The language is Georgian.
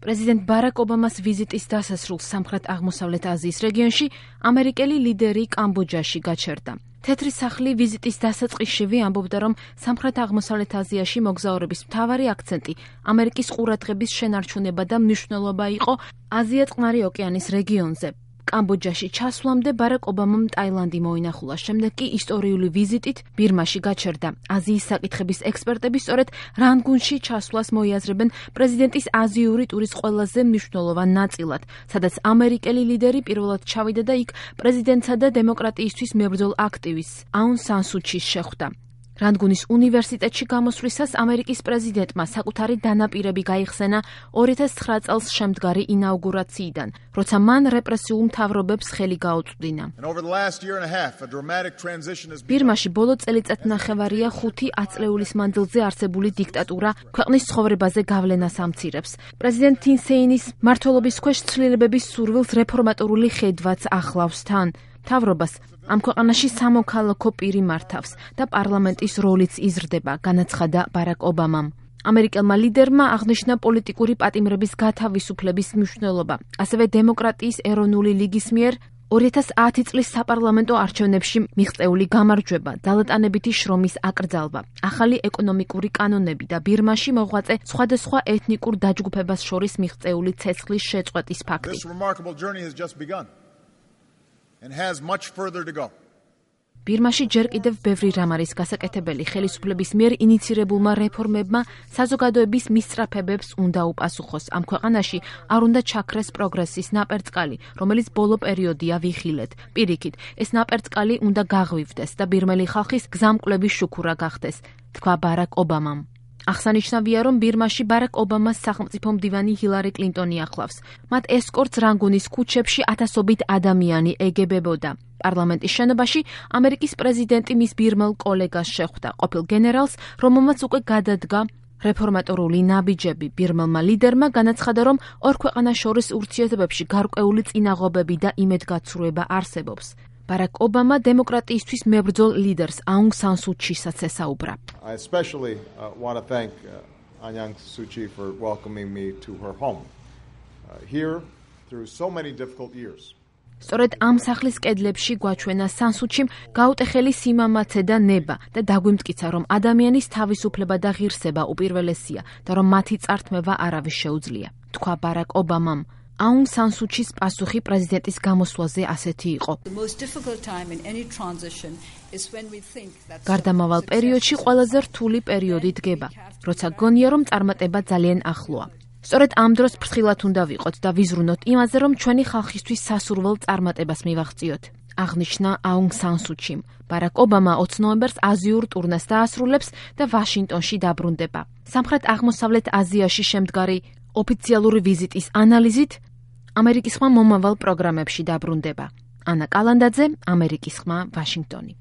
პრეზიდენტ ბარაკ ობამას ვიზიტის დასასრულს სამხრეთ-აღმოსავლეთ აზიის რეგიონში ამერიკელი ლიდერი კამბოჯაში გაჩერდა. თეთრი სახლი ვიზიტის დასაწყისშივე ამბობდა, რომ სამხრეთ-აღმოსავლეთ აზიაში მოგზაურების მთავარი აქცენტი ამერიკის ყურადღების შენარჩუნება და მნიშვნელობა იყო აზია-წყნარი ოკეანის რეგიონზე. კამბოჯაში ჩასვლამდე ბარაკ ობამამ ტაილანდი მოინახულა, შემდეგ კი ისტორიული ვიზიტით ბირმაში გაჩერდა. აზიის საკითხების ექსპერტები სწორედ რანგუნში ჩასვლას მოიაზრებენ პრეზიდენტის აზიური ტურის ყველაზე მნიშვნელოვან ნაწილად, სადაც ამერიკელი ლიდერი პირველად ჩავიდა და იქ პრეზიდენტსა და დემოკრატიისთვის მებრძოლ აქტივისტს აუნ სან სუ ჩის შეხვდა. რანგუნის უნივერსიტეტში გამოსვლისას ამერიკის პრეზიდენტმა საკუთარი დანაპირები გაიხსენა 2009 წელს შემდგარი ინაუგურაციიდან, როცა მან რეპრესიულ მთავრობებს ხელი გაუწვდინა. ბირმაში ბოლო წელიწადნახევარია 5 ათწლეულის მანძილზე არსებული დიქტატურა ქვეყნის ცხოვრებაზე გავლენას ამცირებს. პრეზიდენტ თინ სეინის მმართველობის ქვეშ ცვლილებების სურვილს რეფორმატორული ხედვაც ახლავს თან. მთავრობას ამ ქვეყანაში სამოქალაქო პირი მართავს და პარლამენტის როლიც იზრდება, განაცხადა ბარაკ ობამამ. ამერიკელმა ლიდერმა აღნიშნა პოლიტიკური პატიმრების გათავისუფლების მნიშვნელობა, ასევე დემოკრატიის ეროვნული ლიგის მიერ 2010 წლის საპარლამენტო არჩევნებში მიღწეული გამარჯვება, ძალატანებითი შრომის აკრძალვა, ახალი ეკონომიკური კანონები და ბირმაში მოღვაწე სხვადასხვა ეთნიკურ დაჯგუფებას შორის მიღწეული ცეცხლის შეწყვეტის ფაქტი. ბირმაში ჯერ კიდევ ბევრი რამ არის გასაკეთებელი. ხელისუფლების მიერ ინიცირებულმა რეფორმებმა საზოგადოების მისწრაფებებს უნდა უპასუხოს. ამ ქვეყანაში არ უნდა ჩაქრეს პროგრესის ნაპერწკალი, რომელიც ბოლო პერიოდია ვიხილეთ. პირიქით, ეს ნაპერწკალი უნდა გაღვივდეს და ბირმელი ხალხის გზამკვლევის შუქურა გახდეს, თქვა ბარაკ ობამამ. აღსანიშნავია, რომ ბირმაში ბარაკ ობამას სახელმწიფო მდივანი ჰილარი კლინტონი ახლავს. მათ ესკორტს რანგუნის ქუჩებში ათასობით ადამიანი ეგებებოდა. პარლამენტის შენობაში ამერიკის პრეზიდენტი მის ბირმელ კოლეგას შეხვდა, ყოფილ გენერალს, რომელმაც უკვე გადადგა რეფორმატორული ნაბიჯები. ბირმელმა ლიდერმა განაცხადა, რომ ორ ქვეყანას შორის ურთიერთობებში გარკვეული წინაღობები და იმედგაცრუება არსებობს. ბარაკ ობამა დემოკრატიისთვის მებრძოლ ლიდერს აუნ სან სუ ჩისაც ესაუბრა. I especially want to thank Aung San Suu Kyi for welcoming me to her home. Here through so many difficult years. სწორედ ამ სახლის კედლებში გვაჩვენა სან სუ ჩიმ გაუტეხელი სიმამაცე და ნება და დაგვიმტკიცა, რომ ადამიანის თავისუფლება და ღირსება უპირველესია და რომ მათი წართმევა არავის შეუძლია, თქვა ბარაკ ობამამ. აუნ სან სუ ჩის პასუხი პრეზიდენტის გამოსვლაზე ასეთი იყო. გარდამავალ პერიოდში ყველაზე რთული პერიოდი დგება, როცა გონია, რომ წარმატება ძალიან ახლოა. სწორედ ამ დროს ფრთხილად უნდა ვიყოთ და ვიზრუნოთ იმაზე, რომ ჩვენი ხალხისთვის სასურველ წარმატებას მივაღწიოთ, აღნიშნა აუნ სან სუ ჩიმ. ბარაკ ობამა 20 ნოემბერს აზიურ ტურნეს დაასრულებს და ვაშინგტონში დაბრუნდება. სამხრეთ-აღმოსავლეთ აზიაში შემდგარი ოფიციალური ვიზიტის ანალიზით ამერიკის ხმა მომავალ პროგრამებში დაბრუნდება. ანა კალანდაძე, ამერიკის ხმა, ვაშინგტონი.